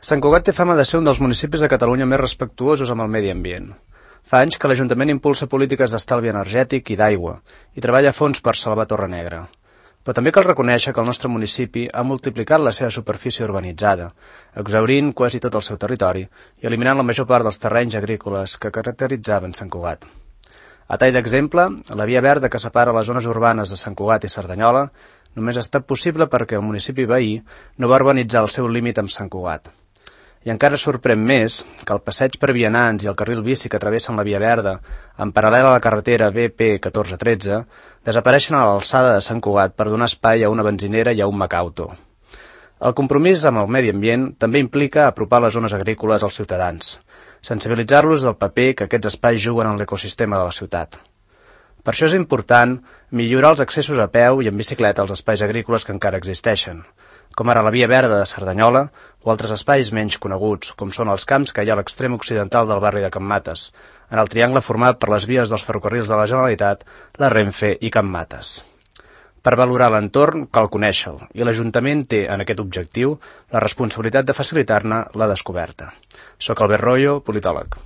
Sant Cugat té fama de ser un dels municipis de Catalunya més respectuosos amb el medi ambient. Fa anys que l'Ajuntament impulsa polítiques d'estalvi energètic i d'aigua i treballa a fons per salvar Torre Negra. Però també cal reconèixer que el nostre municipi ha multiplicat la seva superfície urbanitzada, exhaurint quasi tot el seu territori i eliminant la major part dels terrenys agrícoles que caracteritzaven Sant Cugat. A tall d'exemple, la via verda que separa les zones urbanes de Sant Cugat i Cerdanyola només ha estat possible perquè el municipi veí no va urbanitzar el seu límit amb Sant Cugat. I encara sorprèn més que el passeig per vianants i el carril bici que travessen la via verda, en paral·lel a la carretera BP 1413, desapareixen a l'alçada de Sant Cugat per donar espai a una benzinera i a un Macauto. El compromís amb el medi ambient també implica apropar les zones agrícoles als ciutadans, sensibilitzar-los del paper que aquests espais juguen en l'ecosistema de la ciutat. Per això és important millorar els accessos a peu i en bicicleta als espais agrícoles que encara existeixen, com ara la via verda de Cerdanyola o altres espais menys coneguts, com són els camps que hi ha a l'extrem occidental del barri de Can Mates, en el triangle format per les vies dels ferrocarrils de la Generalitat, la Renfe i Can Mates. Per valorar l'entorn cal conèixer-lo, i l'Ajuntament té en aquest objectiu la responsabilitat de facilitar-ne la descoberta. Soc Albert Royo, politòleg.